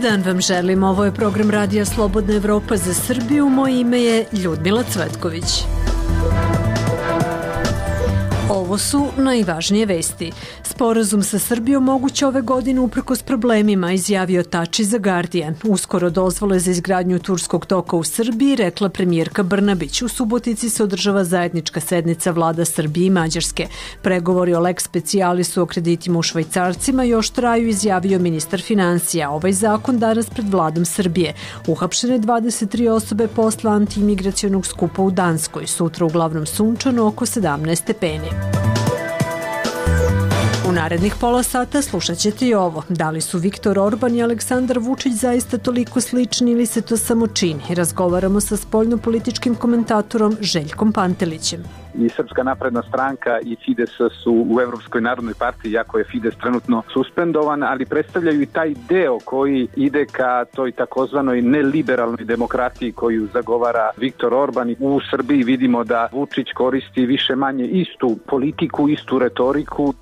dan vam želim. Ovo je program Radija Slobodna Evropa za Srbiju. Moje ime je Ljudmila Cvetković. Ovo su najvažnije vesti. Sporazum sa Srbijom moguće ove godine uprkos problemima, izjavio Tači za Guardian. Uskoro dozvole za izgradnju turskog toka u Srbiji, rekla premijerka Brnabić. U Subotici se održava zajednička sednica vlada Srbije i Mađarske. Pregovori o lex specialisu o kreditima u švajcarcima još traju, izjavio ministar financija. Ovaj zakon danas pred vladom Srbije. Uhapšene 23 osobe posle antiimigracionog skupa u Danskoj. Sutra uglavnom sunčano, oko 17 stepeni. U narednih pola sata slušat ćete i ovo. Da li su Viktor Orban i Aleksandar Vučić zaista toliko slični ili se to samo čini? Razgovaramo sa spoljnopolitičkim komentatorom Željkom Pantelićem. I Srpska napredna stranka i Fides su u Evropskoj narodnoj partiji, iako je Fides trenutno suspendovan, ali predstavljaju i taj deo koji ide ka toj takozvanoj neliberalnoj demokratiji koju zagovara Viktor Orban. U Srbiji vidimo da Vučić koristi više manje istu politiku, istu retoriku.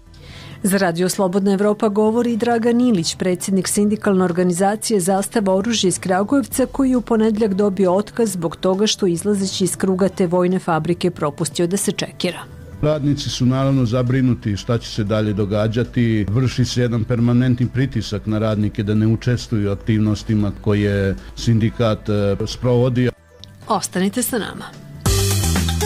Za Radio Slobodna Evropa govori Dragan Ilić, predsjednik sindikalne organizacije Zastava oružja iz Kragujevca, koji je u ponedjeljak dobio otkaz zbog toga što izlazeći iz kruga te vojne fabrike propustio da se čekira. Radnici su naravno zabrinuti šta će se dalje događati. Vrši se jedan permanentni pritisak na radnike da ne učestvuju u aktivnostima koje sindikat sprovodi. Ostanite sa nama.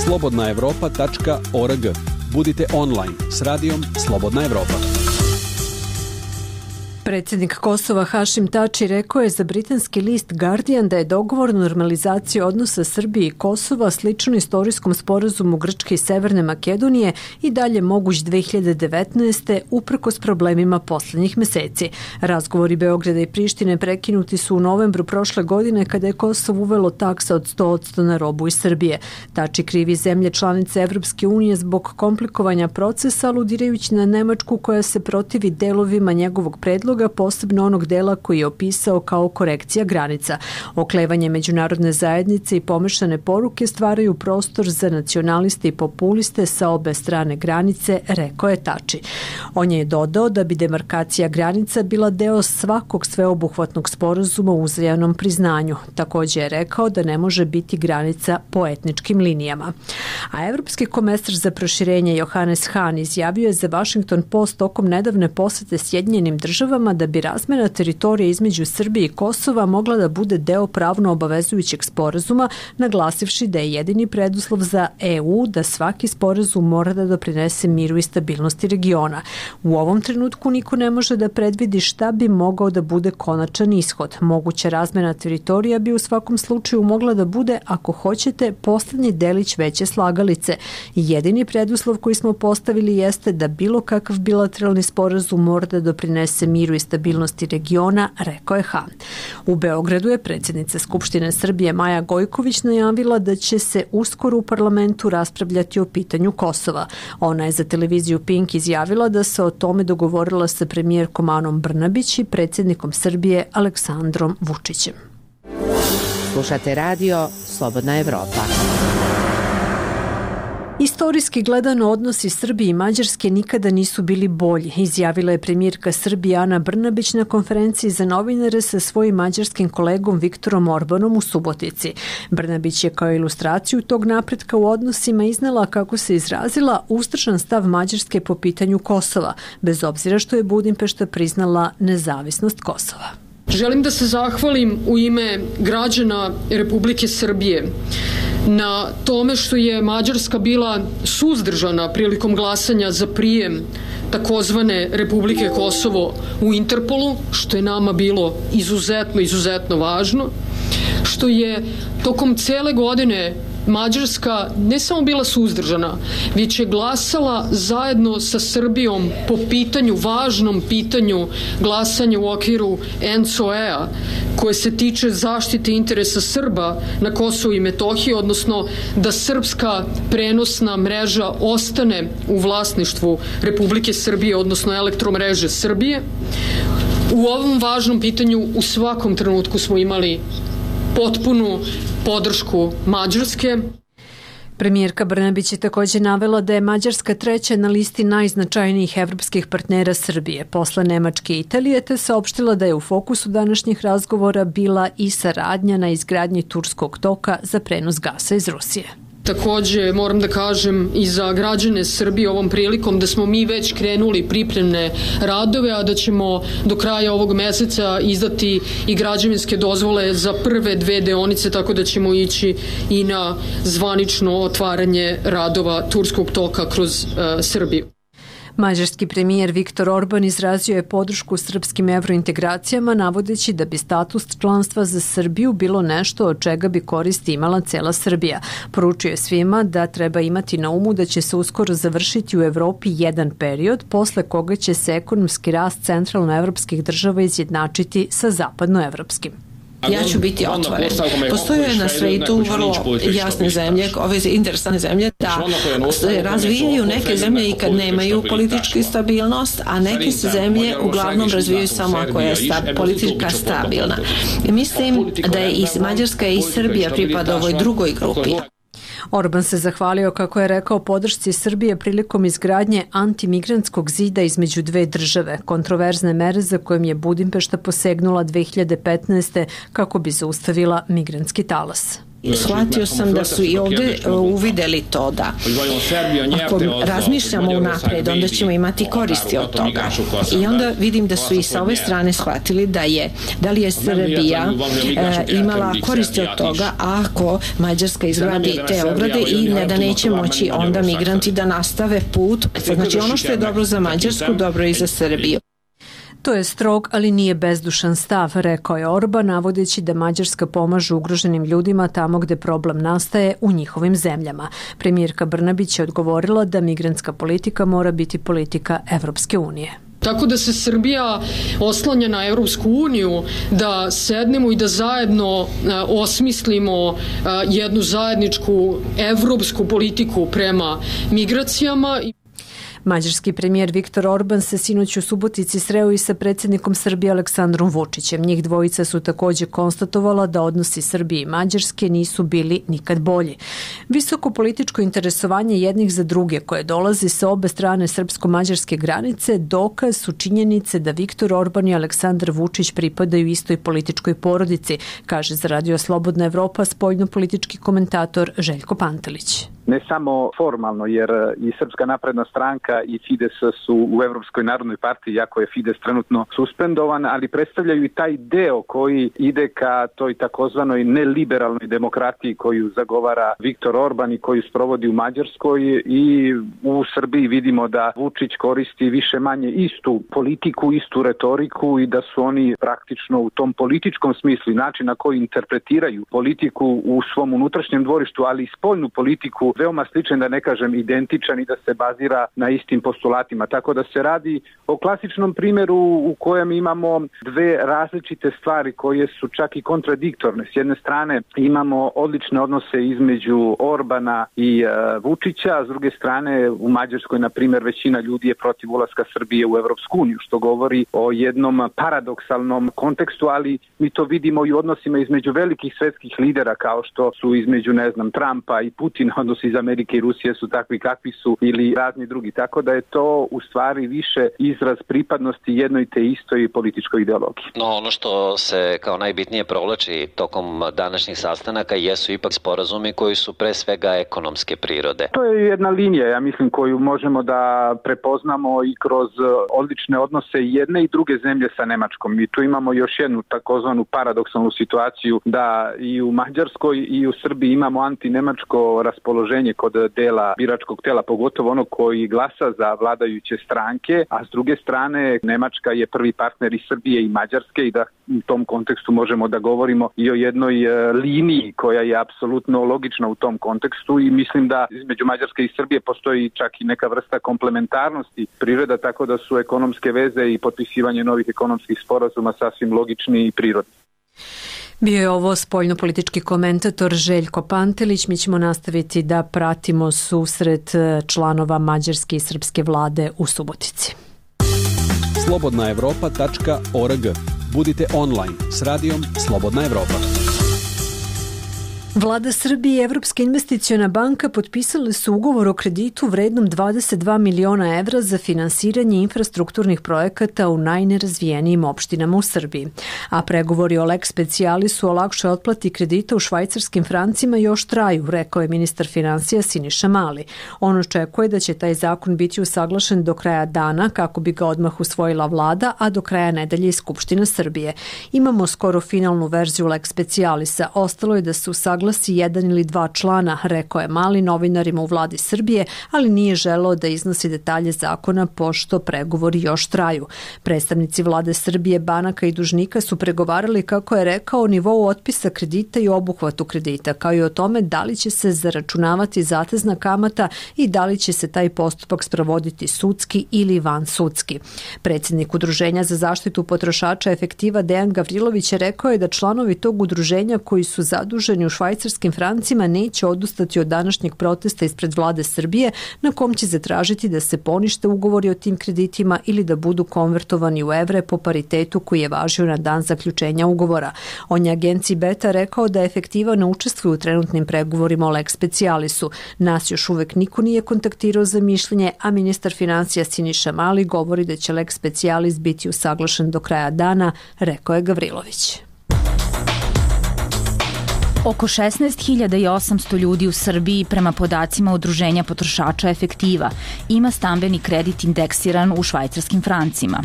slobodnaevropa.org. Budite online s radijom Slobodna Evropa. Predsjednik Kosova Hašim Tači rekao je za britanski list Guardian da je dogovor normalizacije odnosa Srbije i Kosova slično istorijskom sporazumu Grčke i Severne Makedonije i dalje moguć 2019. uprkos problemima posljednjih meseci. Razgovori Beograda i Prištine prekinuti su u novembru prošle godine kada je Kosovo uvelo taksa od 100% na robu iz Srbije. Tači krivi zemlje članice Evropske unije zbog komplikovanja procesa, aludirajući na Nemačku koja se protivi delovima njegovog predloga, posebno onog dela koji je opisao kao korekcija granica. Oklevanje međunarodne zajednice i pomešane poruke stvaraju prostor za nacionaliste i populiste sa obe strane granice, rekao je Tači. On je dodao da bi demarkacija granica bila deo svakog sveobuhvatnog sporazuma o uzajamnom priznanju. Također je rekao da ne može biti granica po etničkim linijama. A evropski komesar za proširenje Johannes Hahn izjavio je za Washington Post tokom nedavne posete Sjedinjenim državama da bi razmjena teritorija između Srbije i Kosova mogla da bude deo pravno obavezujućeg sporazuma, naglasivši da je jedini preduslov za EU da svaki sporazum mora da doprinese miru i stabilnosti regiona. U ovom trenutku niko ne može da predvidi šta bi mogao da bude konačan ishod. Moguća razmjena teritorija bi u svakom slučaju mogla da bude, ako hoćete, poslednji delić veće slagalice. Jedini preduslov koji smo postavili jeste da bilo kakav bilateralni sporazum mora da doprinese miru i stabilnosti regiona, rekao je Hahn. U Beogradu je predsjednica Skupštine Srbije Maja Gojković najavila da će se uskoro u parlamentu raspravljati o pitanju Kosova. Ona je za televiziju Pink izjavila da se o tome dogovorila sa premijerkom Anom Brnabić i predsjednikom Srbije Aleksandrom Vučićem. Slušate radio Slobodna Evropa. Istorijski gledano odnosi Srbije i Mađarske nikada nisu bili bolji, izjavila je premijerka Srbije Ana Brnabić na konferenciji za novinare sa svojim mađarskim kolegom Viktorom Orbanom u Subotici. Brnabić je kao ilustraciju tog napretka u odnosima iznela, kako se izrazila, uzdržan stav Mađarske po pitanju Kosova, bez obzira što je Budimpešta priznala nezavisnost Kosova. Želim da se zahvalim u ime građana Republike Srbije na tome što je Mađarska bila suzdržana prilikom glasanja za prijem takozvane Republike Kosovo u Interpolu, što je nama bilo izuzetno važno, što je tokom cele godine Mađarska ne samo bila suzdržana, već je glasala zajedno sa Srbijom po pitanju, važnom pitanju glasanja u okviru ENCOE-a, koje se tiče zaštite interesa Srba na Kosovu i Metohiji, odnosno da srpska prenosna mreža ostane u vlasništvu Republike Srbije, odnosno elektromreže Srbije. U ovom važnom pitanju u svakom trenutku smo imali potpunu podršku Mađarske. Premijerka Brnabić je također navela da je Mađarska treća na listi najznačajnijih evropskih partnera Srbije, posle Nemačke i Italije, te saopštila da je u fokusu današnjih razgovora bila i saradnja na izgradnji Turskog toka za prenos gasa iz Rusije. Takođe moram da kažem i za građane Srbije ovom prilikom da smo mi već krenuli pripremne radove, a da ćemo do kraja ovog meseca izdati i građevinske dozvole za prve 2 deonice, tako da ćemo ići i na zvanično otvaranje radova Turskog toka kroz Srbiju. Mađarski premijer Viktor Orban izrazio je podršku srpskim evrointegracijama, navodeći da bi status članstva za Srbiju bilo nešto od čega bi koristi imala cela Srbija. Poručio je svima da treba imati na umu da će se uskoro završiti u Evropi jedan period, posle koga će se ekonomski rast centralnoevropskih država izjednačiti sa zapadnoevropskim. Ja ću biti otvoren. Postoje na svetu vrlo jasne zemlje, ove interesantne zemlje, da se razvijaju neke zemlje i kad nemaju političku stabilnost, a neke se zemlje uglavnom razvijaju samo ako je politika stabilna. I mislim da je i Mađarska i Srbija pripada ovoj drugoj grupi. Orban se zahvalio, kako je rekao, podršci Srbije prilikom izgradnje antimigrantskog zida između 2 države, kontroverzne mere za kojim je Budimpešta posegnula 2015. kako bi zaustavila migrantski talas. Shvatio sam da su i ovdje uvideli to da ako razmišljamo unapred, onda ćemo imati koristi od toga. I onda vidim da su i sa ove strane shvatili da li je Srbija imala koristi od toga ako Mađarska izgradi te ograde i da neće moći onda migranti da nastave put. Znači ono što je dobro za Mađarsku, dobro je i za Srbiju. To je strog, ali nije bezdušan stav, rekao je Orban, navodeći da Mađarska pomaže ugroženim ljudima tamo gde problem nastaje u njihovim zemljama. Premijerka Brnabić je odgovorila da migrantska politika mora biti politika Evropske unije. Tako da se Srbija oslanja na Evropsku uniju, da sednemo i da zajedno osmislimo jednu zajedničku evropsku politiku prema migracijama. Mađarski premijer Viktor Orban se sinoć u Subotici sreo i sa predsjednikom Srbije Aleksandrom Vučićem. Njih dvojica su također konstatovala da odnosi Srbije i Mađarske nisu bili nikad bolji. Visoko političko interesovanje jednih za druge koje dolazi sa obe strane srpsko-mađarske granice dokaz su činjenice da Viktor Orban i Aleksandar Vučić pripadaju istoj političkoj porodici, kaže za Radio Slobodna Evropa spoljno-politički komentator Željko Pantelić. Ne samo formalno, jer i Srpska napredna stranka i Fides su u Evropskoj narodnoj partiji, iako je Fides trenutno suspendovan, ali predstavljaju i taj deo koji ide ka toj takozvanoj neliberalnoj demokratiji koju zagovara Viktor Orban i koju sprovodi u Mađarskoj, i u Srbiji vidimo da Vučić koristi više manje istu politiku, istu retoriku i da su oni praktično u tom političkom smislu i način na koji interpretiraju politiku u svom unutrašnjem dvorištu, ali i spoljnu politiku veoma sličan, da ne kažem identičan, i da se bazira na istim postulatima. Tako da se radi o klasičnom primjeru u kojem imamo 2 različite stvari koje su čak i kontradiktorne. S jedne strane imamo odlične odnose između Orbana i Vučića, a s druge strane u Mađarskoj, na primjer, većina ljudi je protiv ulaska Srbije u Evropsku uniju, što govori o jednom paradoksalnom kontekstu, ali mi to vidimo i u odnosima između velikih svetskih lidera kao što su između, Trumpa i Putina, odnosi iz Amerike i Rusije su takvi kakvi su, ili razni drugi. Tako da je to u stvari više izraz pripadnosti jednoj te istoj političkoj ideologiji. No, ono što se kao najbitnije provlači tokom današnjih sastanaka jesu ipak sporazumi koji su pre svega ekonomske prirode. To je jedna linija, ja mislim, koju možemo da prepoznamo i kroz odlične odnose jedne i druge zemlje sa Nemačkom. I tu imamo još jednu takozvanu paradoksalnu situaciju da i u Mađarskoj i u Srbiji imamo antinemačko raspoloženje kod dela biračkog tela, pogotovo onog koji glasa za vladajuće stranke, a s druge strane Nemačka je prvi partner i Srbije i Mađarske, i da u tom kontekstu možemo da govorimo i o jednoj liniji koja je apsolutno logična u tom kontekstu, i mislim da između Mađarske i Srbije postoji čak i neka vrsta komplementarnosti priroda, tako da su ekonomske veze i potpisivanje novih ekonomskih sporazuma sasvim logični i prirodni. Bio je ovo spoljno-politički komentator Željko Pantelić. Mi ćemo nastaviti da pratimo susret članova mađarske i srpske vlade u Subotici. slobodnaevropa.org. Budite online s radijom Slobodna Evropa. Vlada Srbije i Evropska investiciona banka potpisali su ugovor o kreditu vrednom 22 miliona evra za finansiranje infrastrukturnih projekata u najnerazvijenijim opštinama u Srbiji. A pregovori o lex specialisu o lakšoj otplati kredita u švajcarskim francima još traju, rekao je ministar finansija Siniša Mali. On očekuje da će taj zakon biti usaglašen do kraja dana kako bi ga odmah usvojila vlada, a do kraja nedelje i Skupština Srbije. Imamo skoro finalnu verziju lex specialisa, ostalo je da se usaglasi jedan ili dva člana, rekao je Mali novinarima u vladi Srbije, ali nije želeo da iznosi detalje zakona pošto pregovori još traju. Predstavnici vlade Srbije, banaka i dužnika su pregovarali, kako je rekao, o nivou otpisa kredita i obuhvatu kredita, kao i o tome da li će se zaračunavati zatezna kamata i da li će se taj postupak sprovoditi sudski ili vansudski. Predsjednik Udruženja za zaštitu potrošača Efektiva Dejan Gavrilović je rekao je da članovi tog udruženja koji su zaduženi u švajcarskim francima neće odustati od današnjeg protesta ispred vlade Srbije, na kom će zatražiti da se ponište ugovori o tim kreditima ili da budu konvertovani u evre po paritetu koji je važio na dan zaključenja ugovora. On je agenciji Beta rekao da Efektiva ne učestvuje u trenutnim pregovorima o lex specialisu. Nas još uvek niko nije kontaktirao za mišljenje, a ministar finansija Siniša Mali govori da će lex specialis biti usaglašen do kraja dana, rekao je Gavrilović. Oko 16.800 ljudi u Srbiji, prema podacima Udruženja potrošača Efektiva, ima stambeni kredit indeksiran u švajcarskim francima.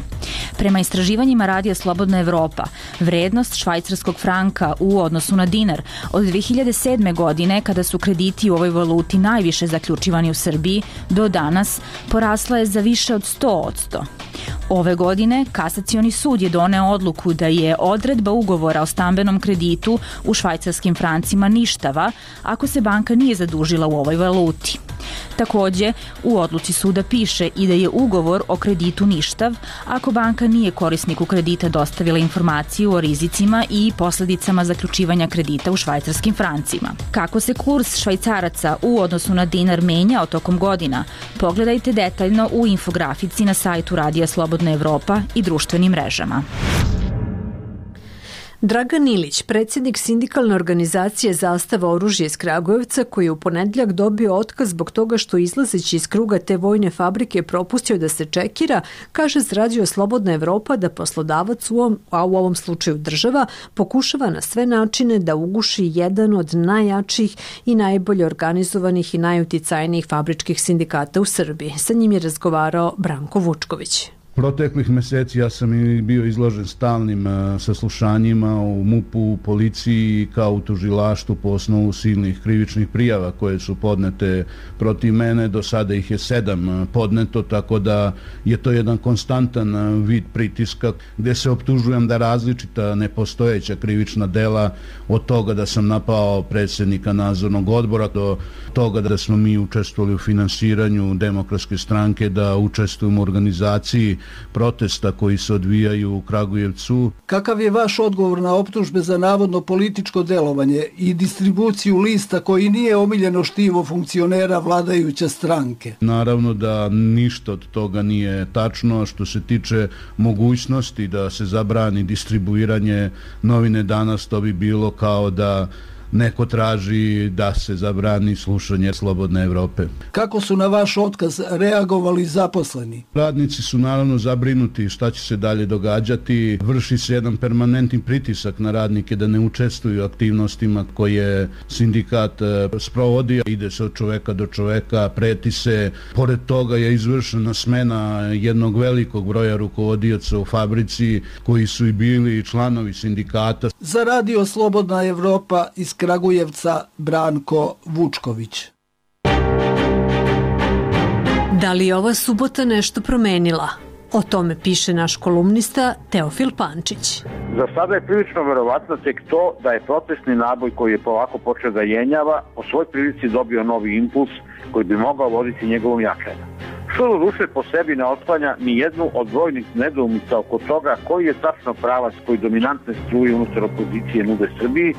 Prema istraživanjima Radija Slobodna Evropa, vrednost švajcarskog franka u odnosu na dinar od 2007. godine, kada su krediti u ovoj valuti najviše zaključivani u Srbiji, do danas porasla je za više od 100%. Ove godine Kasacioni sud je doneo odluku da je odredba ugovora o stambenom kreditu u švajcarskim francima ništava ako se banka nije zadužila u ovoj valuti. Takođe, u odluci suda piše i da je ugovor o kreditu ništav ako banka nije korisniku kredita dostavila informaciju o rizicima i posledicama zaključivanja kredita u švajcarskim francima. Kako se kurs švajcaraca u odnosu na dinar menjao tokom godina, pogledajte detaljno u infografici na sajtu Radija Slobodna Evropa i društvenim mrežama. Dragan Ilić, predsjednik sindikalne organizacije Zastava oružje iz Kragujevca, koji je u ponedjeljak dobio otkaz zbog toga što izlazeći iz kruga te vojne fabrike propustio da se čekira, kaže za Radio Slobodna Evropa da poslodavac, a u ovom slučaju država, pokušava na sve načine da uguši jedan od najjačih i najbolje organizovanih i najuticajnijih fabričkih sindikata u Srbiji. Sa njim je razgovarao Branko Vučković. Proteklih meseci ja sam i bio izložen stalnim saslušanjima u MUP-u, u policiji kao u tužilaštvu po osnovu silnih krivičnih prijava koje su podnete protiv mene. Do sada ih je 7 podneto, tako da je to jedan konstantan vid pritiska gde se optužujem da različita nepostojeća krivična dela, od toga da sam napao predsjednika nadzornog odbora do toga da smo mi učestvovali u finansiranju Demokratske stranke, da učestvujemo u organizaciji protesta koji se odvijaju u Kragujevcu. Kakav je vaš odgovor na optužbe za navodno političko delovanje i distribuciju lista koji nije omiljeno štivo funkcionera vladajuće stranke? Naravno da ništa od toga nije tačno. Što se tiče mogućnosti da se zabrani distribuiranje novine Danas, to bi bilo kao da neko traži da se zabrani slušanje Slobodne Evrope. Kako su na vaš otkaz reagovali zaposleni? Radnici su naravno zabrinuti šta će se dalje događati. Vrši se jedan permanentni pritisak na radnike da ne učestvuju u aktivnostima koje sindikat sprovodi. Ide se od čoveka do čoveka, preti se. Pored toga je izvršena smena jednog velikog broja rukovodioca u fabrici koji su i bili članovi sindikata. Za Radio Slobodna Evropa iz Kragujevca, Branko Vučković. Da li je ova subota nešto promenila? O tome piše naš kolumnista Teofil Pančić. Za sada je prilično verovatno tek to da je protestni naboj koji je polako počeo da jenjava po svoj prilici dobio novi impuls koji bi mogao voditi njegovom jačanju. Što do duše po sebi ne otklanja ni jednu od brojnih nedoumica oko toga koji je tačno pravac koji dominantne struje unutar opozicije nude Srbiji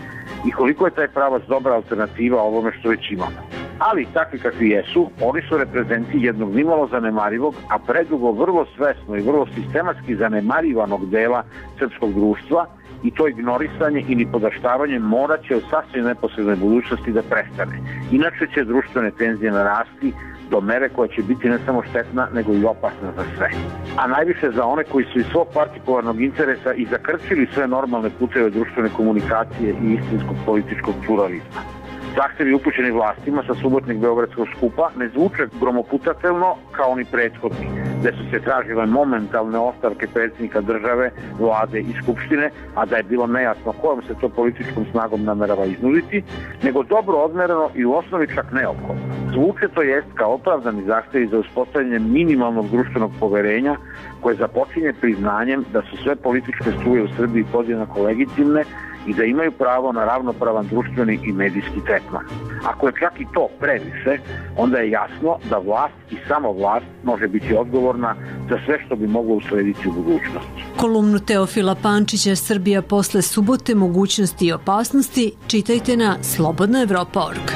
i koliko je taj pravac dobra alternativa ovome što već imamo. Ali takvi kakvi jesu, oni su reprezenti jednog nimalo zanemarivog, a predugo vrlo svesno i vrlo sistematski zanemarivanog dela srpskog društva i to ignorisanje i nipodaštavanje morat će u sasvim neposrednoj budućnosti da prestane. Inače će društvene tenzije narasti do mere koja će biti ne samo štetna, nego i opasna za sve. A najviše za one koji su iz svog partikularnog interesa i zakrčili sve normalne puteve društvene komunikacije i istinskog političkog pluralizma. Zahtevi upućeni vlastima sa subotnjeg beogradskog skupa ne zvuče gromoputatelno kao ni prethodni, gde su se tražile momentalne ostavke predsjednika države, vlade i skupštine, a da je bilo nejasno kojom se to političkom snagom namerava iznuditi, nego dobro odmereno i u osnovi čak neophodno. Zvuče to jest kao opravdani zahtevi za uspostavljanje minimalnog društvenog poverenja koje započinje priznanjem da su sve političke struje u Srbiji podjednako legitimne i da imaju pravo na ravnopravan društveni i medijski tretman. Ako je čak i to previše, onda je jasno da vlast i samo vlast može biti odgovorna za sve što bi moglo uslediti u budućnosti. Kolumnu Teofila Pančića Srbija posle subote, mogućnosti i opasnosti čitajte na slobodnaevropa.org.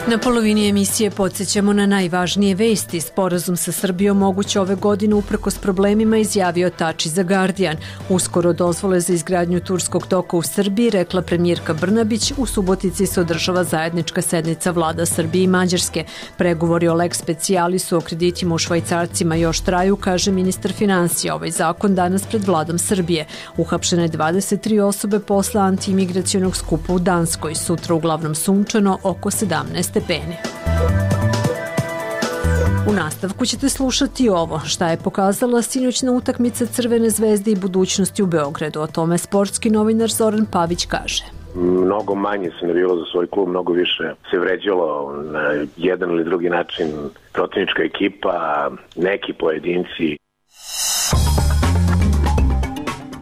Na polovini emisije podsjećamo na najvažnije vesti. Sporazum sa Srbijom moguće ove godine uprkos problemima, izjavio Tači za Guardian. Uskoro dozvole za izgradnju turskog toka u Srbiji, rekla premijerka Brnabić. U Subotici se održava zajednička sednica vlada Srbije i Mađarske. Pregovori o lex specialisu o kreditima u švajcarcima još traju, kaže ministar finansija. Ovaj zakon danas pred vladom Srbije. Uhapšene 23 osobe posle antiimigracionog skupa u Danskoj. Sutra uglavnom sunčano, oko 17 stepeni. U nastavku ćete slušati ovo, šta je pokazala sinoćna utakmica Crvene zvezde i budućnosti u Beogradu. O tome sportski novinar Zoran Pavić kaže. Mnogo manje se navijalo za svoj klub, mnogo više se vređalo na jedan ili drugi način protivnička ekipa, neki pojedinci.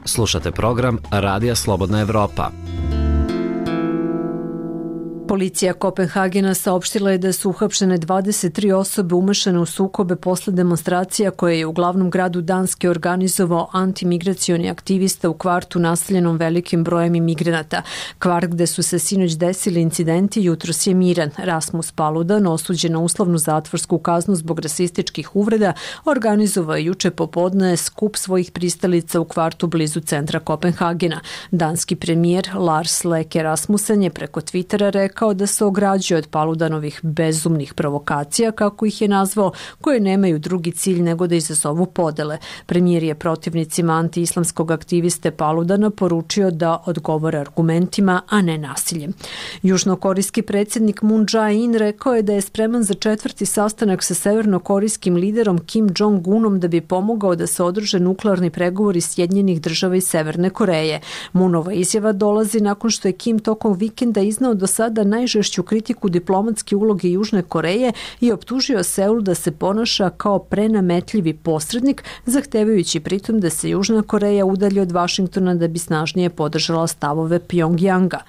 Slušate program Radija Slobodna Evropa. Policija Kopenhagena saopštila je da su uhapšene 23 osobe umešane u sukobe posle demonstracija koje je u glavnom gradu Danske organizovao antimigracioni aktivista u kvartu naseljenom velikim brojem imigranata. Kvart gde su se sinoć desili incidenti jutros je miran. Rasmus Paludan, osuđen na uslovnu zatvorsku kaznu zbog rasističkih uvreda, organizovao je juče popodne skup svojih pristalica u kvartu blizu centra Kopenhagena. Danski premijer Lars Løkke Rasmussen je preko Twittera rekao da se ograđuje od Paludanovih bezumnih provokacija, kako ih je nazvao, koje nemaju drugi cilj nego da izazovu podele. Premijer je protivnicima antiislamskog aktiviste Paludana poručio da odgovore argumentima, a ne nasiljem. Južnokorejski predsjednik Moon Jae-in rekao je da je spreman za 4. sastanak sa severnokorejskim liderom Kim Jong-unom da bi pomogao da se održe nuklearni pregovori Sjedinjenih država i Severne Koreje. Moonova izjava dolazi nakon što je Kim tokom vikenda iznao do sada najžešću kritiku diplomatske uloge Južne Koreje i optužio Seul da se ponaša kao prenametljivi posrednik, zahtevajući pritom da se Južna Koreja udalji od Vašingtona da bi snažnije podržala stavove Pjongjanga.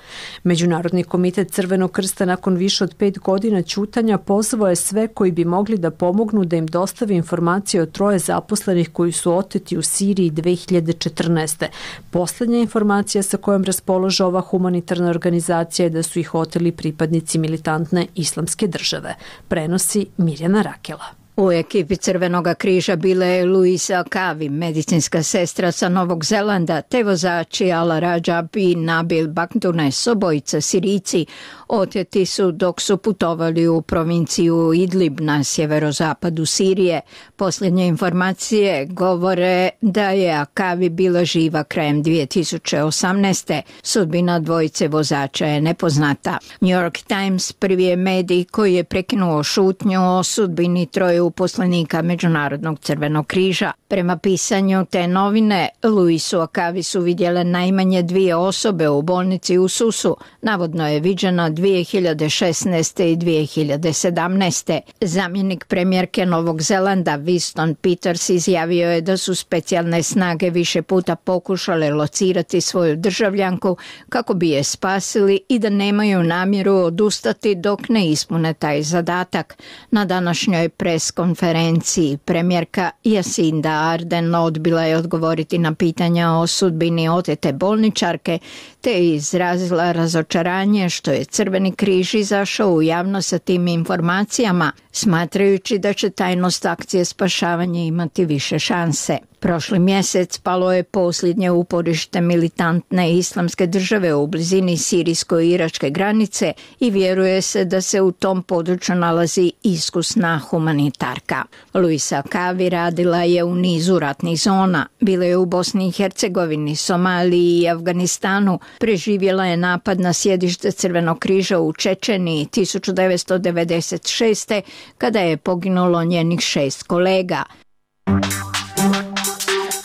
Međunarodni komitet Crvenog krsta nakon više od 5 godina ćutanja pozvao je sve koji bi mogli da pomognu da im dostavi informacije o 3 zaposlenih koji su oteti u Siriji 2014. Poslednja informacija sa kojom raspolaže ova humanitarna organizacija je da su ih oteli pripadnici militantne islamske države. Prenosi Mirjana Rakela. U ekipi Crvenog križa bila je Luisa Kavi, medicinska sestra sa Novog Zelanda, te vozači Ala Rajab i Nabil Bakdunes, obojica Sirijci, oteti su dok su putovali u provinciju Idlib na sjeverozapadu Sirije. Posljednje informacije govore da je Akavi bila živa krajem 2018. Sudbina dvojice vozača je nepoznata. New York Times prvi je medij koji je prekinuo šutnju o sudbini 3 uposlenika Međunarodnog Crvenog križa. Prema pisanju te novine, Luisu Akavi su vidjele najmanje 2 osobe u bolnici u Susu. Navodno je viđena 2016. i 2017. Zamjenik premijerke Novog Zelanda Winston Peters izjavio je da su specijalne snage više puta pokušale locirati svoju državljanku kako bi je spasili i da nemaju namjeru odustati dok ne ispune taj zadatak. Na današnjoj pres konferenciji premijerka Jacinda Arden odbila je odgovoriti na pitanja o sudbini otete bolničarke, te je izrazila razočaranje što je Crveni križ izašao u javnost sa tim informacijama, smatrajući da će tajnost akcije spašavanja imati više šanse. Prošli mjesec palo je posljednje uporište militantne islamske države u blizini sirijsko-iračke granice i vjeruje se da se u tom području nalazi iskusna humanitarka. Luisa Kavi radila je u nizu ratnih zona. Bila je u Bosni i Hercegovini, Somaliji i Afganistanu. Preživjela je napad na sjedište Crvenog križa u Čečeniji 1996. kada je poginulo njenih 6 kolega.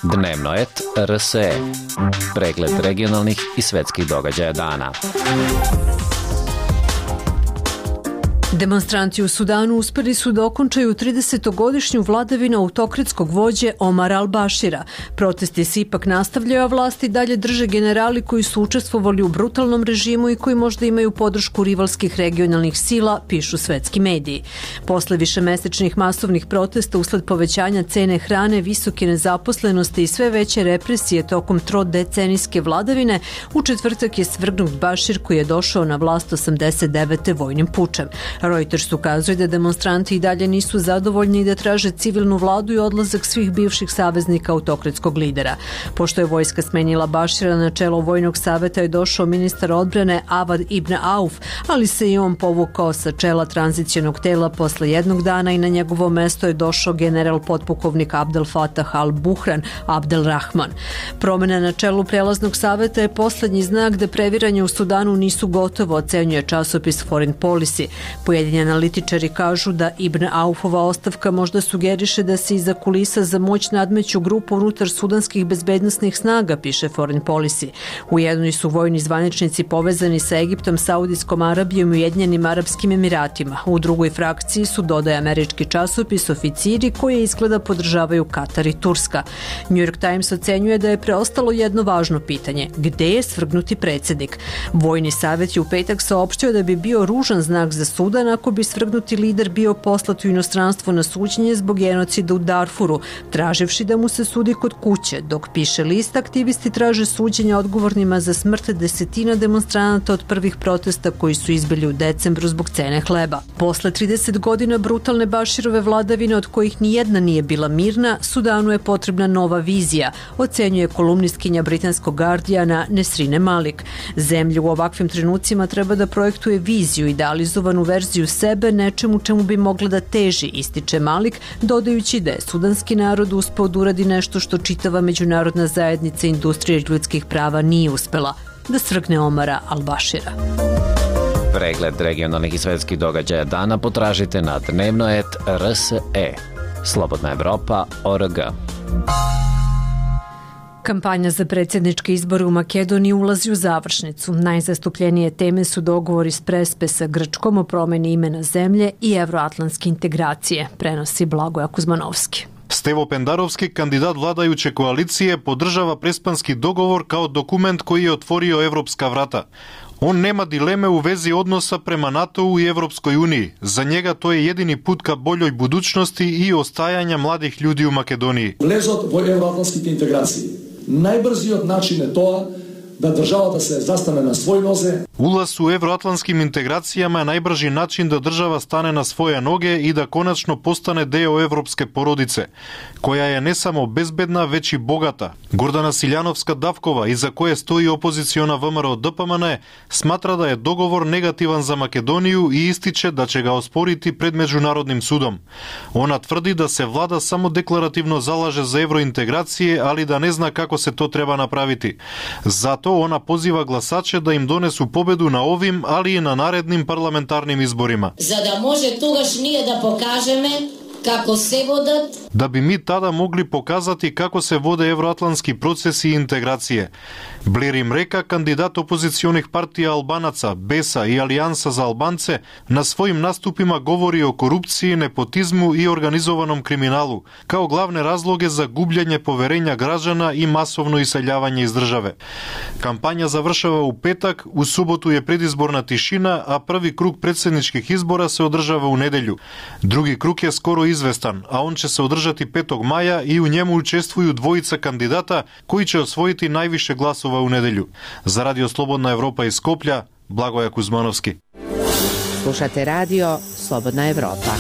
Dnevno et RSE. Pregled regionalnih i svetskih događaja dana. Demonstranti u Sudanu uspeli su da okončaju 30-godišnju vladavinu autokratskog vođe Omara al-Bashira. Protesti se ipak nastavljaju, a vlasti dalje drže generali koji su učestvovali u brutalnom režimu i koji možda imaju podršku rivalskih regionalnih sila, pišu svetski mediji. Posle višemesečnih masovnih protesta usled povećanja cene hrane, visoke nezaposlenosti i sve veće represije tokom trodecenijske vladavine, u četvrtak je svrgnut Bashir koji je došao na vlast 89. vojnim pučem. Reuters ukazuje da demonstranti i dalje nisu zadovoljni i da traže civilnu vladu i odlazak svih bivših saveznika autokratskog lidera. Pošto je vojska smenjila Bashira, na čelo vojnog saveta je došao ministar odbrane Avad ibn Auf, ali se i on povukao sa čela tranzicionog tela posle jednog dana i na njegovo mesto je došao general potpukovnik Abdel Fattah al-Buhran Abdel Rahman. Promjena na čelu prelaznog saveta je poslednji znak da previranje u Sudanu nisu gotovo, ocenjuje časopis Foreign Policy. Pojedini analitičari kažu da Ibn Aufova ostavka možda sugeriše da se iza kulisa za moć nadmeću grupu unutar sudanskih bezbednosnih snaga, piše Foreign Policy. U jednoj su vojni zvaničnici povezani sa Egiptom, Saudijskom Arabijom i Ujedinjenim Arapskim Emiratima. U drugoj frakciji su, dodaje američki časopis, oficiri koji izgleda podržavaju Katar i Turska. New York Times ocenjuje da je preostalo jedno važno pitanje: gde je svrgnuti predsjednik? Vojni savjet je u petak saopštio da bi bio ružan znak za Sudan ako bi svrgnuti lider bio poslat u inostranstvo na suđenje zbog genocida u Darfuru, traživši da mu se sudi kod kuće. Dok piše list, aktivisti traže suđenja odgovornima za smrt desetina demonstranata od prvih protesta koji su izbili u decembru zbog cene hleba. Posle 30 godina brutalne Bashirove vladavine, od kojih nijedna nije bila mirna, Sudanu je potrebna nova vizija, ocenjuje kolumnistkinja britanskog Guardiana Nesrine Malik. Zemlja u ovakvim trenucima treba da projektuje viziju, idealizovanu verziju sebe, nečemu čemu bi mogla da teži, ističe Malik, dodajući da je sudanski narod uspeo da uradi nešto što čitava međunarodna zajednica industrije ljudskih prava nije uspela, da svrgne Omara al-Bashira. Pregled regionalnih i svetskih događaja dana potražite na dnevno.rt.rse. Slobodna Evropa.org. Kampanja za predsjedničke izbore u Makedoniji ulazi u završnicu. Najzastupljenije teme su dogovori s Prespe sa Grčkom o promeni imena zemlje i evroatlantske integracije, prenosi Blagoja Kuzmanovski. Stevo Pendarovski, kandidat vladajuće koalicije, podržava prespanski dogovor kao dokument koji je otvorio evropska vrata. On nema dileme u vezi odnosa prema NATO-u i Evropskoj uniji. Za njega to je jedini put ka boljoj budućnosti i ostajanja mladih ljudi u Makedoniji. Влезот во евроатлантските интеграции. Најбрзиот начин е тоа да државата се застане на своји нозе. Улаз у евроатлантским интеграцијама е најбржи начин да држава стане на своја ноге и да конечно постане део европске породице, која е не само безбедна, веќе и богата. Гордана Силјановска-Давкова, иза која стои опозициона ВМРО ДПМН, сматра да е договор негативан за Македонију и истиче да ќе го оспорити пред меѓународним судом. Она тврди да се влада само декларативно залаже за евроинтеграција, али да не зна како се то треба направити. Зато она позива гласаче да им донесу победу на овим, али и на наредним парламентарним изборима. За да може тогаш ние да покажеме како се водат, да би ми тада могли показати како се воде евроатлантски процеси и интеграција. Блер им река, кандидат опозиционих партија Албанаца, Беса и Алијанса за Албанце, на своим наступима говори о корупција, непотизму и организованом криминалу, као главни разлоги за губљање поверења граđana и масовно иселјавање из државе. Кампања завршава у петак, у суботу е предизборна тишина, а први круг председничких избора се одржава у неделју. Други круг е скоро известан, а он ќе се одржати 5. маја и у njemu учествују двојица кандидата кои ќе освоити највише гласова у неделју. За Радио Слободна Европа из Скопја, Благоја Кузмановски. Slušate radio Slobodna Evropa.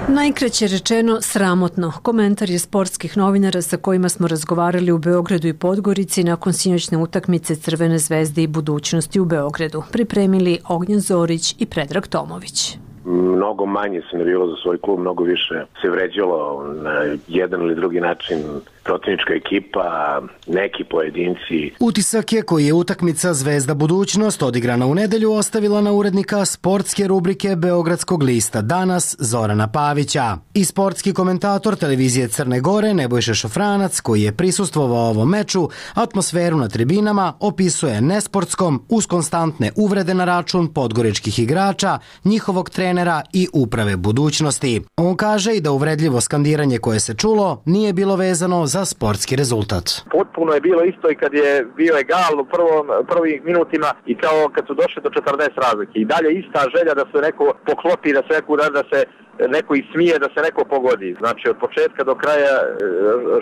Najkraće rečeno sramotno. Komentar je sportskih novinara sa kojima smo razgovarali u Beogradu i Podgorici nakon sinoćne utakmice Crvene zvezde i Budućnosti u Beogradu. Pripremili Ognjen Zorić i Predrag Tomović. Mnogo manje se navijalo za svoj klub, mnogo više se vređalo na jedan ili drugi način protivnička ekipa, neki pojedinci. Utisak je koji je utakmica Zvezda Budućnost odigrana u nedelju ostavila na urednika sportske rubrike Beogradskog lista Danas Zorana Pavića. I sportski komentator televizije Crne Gore Nebojša Šofranac, koji je prisustvovao ovom meču, atmosferu na tribinama opisuje nesportskom uz konstantne uvrede na račun podgoričkih igrača, njihovog trenera i uprave Budućnosti. On kaže i da uvredljivo skandiranje koje se čulo nije bilo vezano za sportski rezultat. Potpuno je bilo isto i kad je bio egal u prvim minutima i kao kad su došli do 40 razlike. I dalje ista želja da se neko poklopi, da se neko ismije, da se neko pogodi. Znači od početka do kraja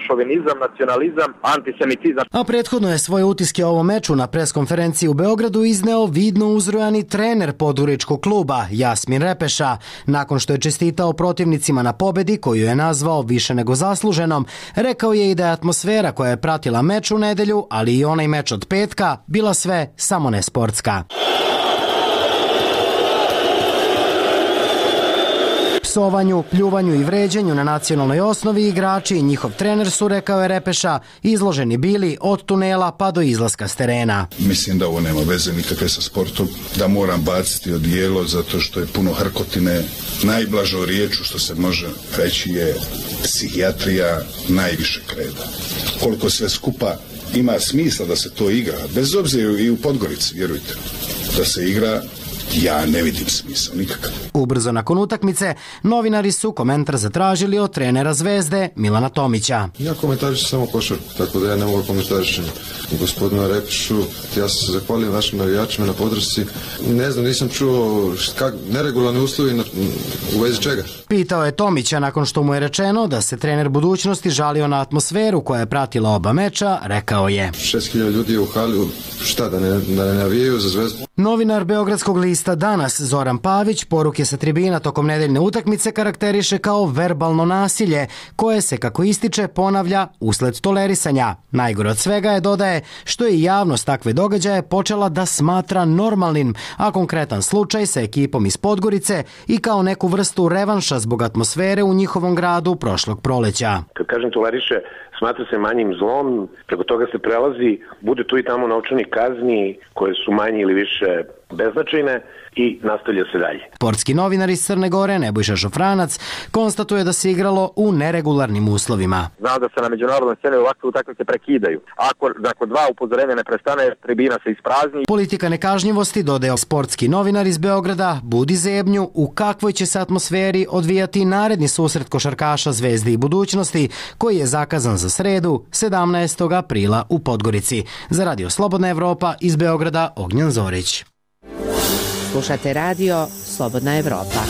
šovinizam, nacionalizam, antisemitizam. A prethodno je svoje utiske o ovom meču na preskonferenciji u Beogradu izneo vidno uzrujani trener podgoričkog kluba Jasmin Repeša. Nakon što je čestitao protivnicima na pobedi, koju je nazvao više nego zasluženom, rekao je i da je atmosfera koja je pratila meč u nedelju, ali i onaj meč od petka, bila sve samo ne sportska. Psovanju, pljuvanju i vređenju na nacionalnoj osnovi igrači i njihov trener su, rekao je Repeša, izloženi bili od tunela pa do izlaska s terena. Mislim da ovo nema veze nikakve sa sportom, da moram baciti odijelo zato što je puno hrkotine. Najblažo riječu što se može reći je psihijatrija najviše kreda. Koliko sve skupa ima smisla da se to igra, bez obzira i u Podgorici, vjerujte, da se igra, ja ne vidim smisla nikakav. Ubrzo nakon utakmice, novinari su komentar zatražili od trenera Zvezde Milana Tomića. Ja komentarišem samo košarku, tako da ja ne mogu komentarišem gospodina Repešu. Ja se zahvaljujem našim navijačima na podršci. Ne znam, nisam čuo neregularni uslovi u vezi čega. Pitao je Tomića nakon što mu je rečeno da se trener Budućnosti žalio na atmosferu koja je pratila oba meča, rekao je: 6.000 ljudi je u hali, šta da ne navijaju za Zvezdu? Novinar Beogradskog lista Danas Zoran Pavić poruke sa tribina tokom nedeljne utakmice karakteriše kao verbalno nasilje koje se, kako ističe, ponavlja usled tolerisanja. Najgore od svega je, dodaje, što je javnost takve događaje počela da smatra normalnim, a konkretan slučaj sa ekipom iz Podgorice i kao neku vrstu revanša zbog atmosfere u njihovom gradu prošlog proleća. Kad kažem toleriše, smatra se manjim zlom, preko toga se prelazi, bude tu i tamo novčanih kazni koje su manje ili više beznačajne i nastavlja se dalje. Sportski novinar iz Crne Gore Nebojša Šofranac konstatuje da se igralo u neregularnim uslovima. Znao da se na međunarodnoj sceni ovakve utakmice prekidaju. Ako dva upozorenja ne prestane, tribina se isprazni. Politika nekažnjivosti, dodaje sportski novinar iz Beograda, budi zebnju u kakvoj će se atmosferi odvijati naredni susret košarkaša Zvezde i Budućnosti, koji je zakazan za sredu 17. aprila u Podgorici. Za Radio Slobodna Evropa iz Beograda, Ognjen Zorić. Slušate radio Slobodna Evropa.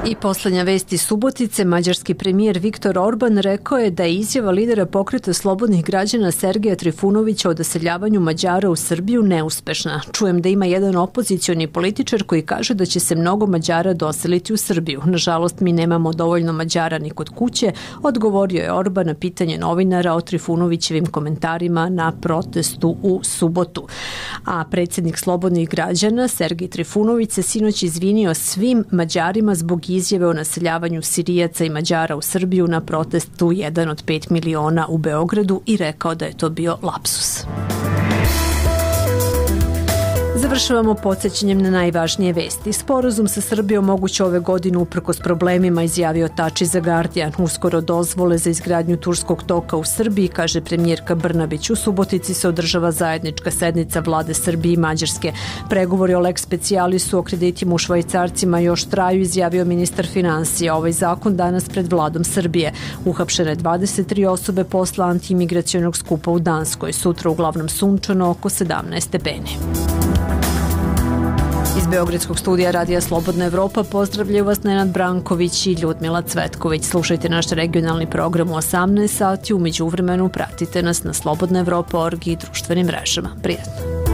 I poslednja vest iz Subotice, mađarski premijer Viktor Orban rekao je da je izjava lidera pokreta slobodnih građana Sergeja Trifunovića o doseljavanju Mađara u Srbiju neuspešna. Čujem da ima jedan opozicioni političar koji kaže da će se mnogo Mađara doseliti u Srbiju. Nažalost, mi nemamo dovoljno Mađara ni kod kuće, odgovorio je Orban na pitanje novinara o Trifunovićevim komentarima na protestu u subotu. A predsjednik slobodnih građana Sergej Trifunović se sinoć izvinio svim Mađarima zbog izjave o naseljavanju Sirijaca i Mađara u Srbiju na protestu 1 od 5 miliona u Beogradu i rekao da je to bio lapsus. Završavamo podsjećanjem na najvažnije vesti. Sporazum sa Srbijom moguće ove godine uprkos problemima, izjavio Tači za Guardian. Uskoro dozvole za izgradnju Turskog toka u Srbiji, kaže premijerka Brnabić. U Subotici se održava zajednička sednica vlade Srbije i Mađarske. Pregovori o lex specialisu o kreditima u švajcarcima još traju, izjavio ministar finansija. Ovaj zakon danas pred vladom Srbije. Uhapšene 23 osobe posle antiimigracionog skupa u Danskoj. Sutra uglavnom sunčano, oko 17 stepeni. Iz Beogradskog studija Radija Slobodna Evropa pozdravljaju vas Nenad Branković i Ljudmila Cvetković. Slušajte naš regionalni program u 18 sati, u međuvremenu pratite nas na slobodnaevropa.org i društvenim mrežama. Prijatno!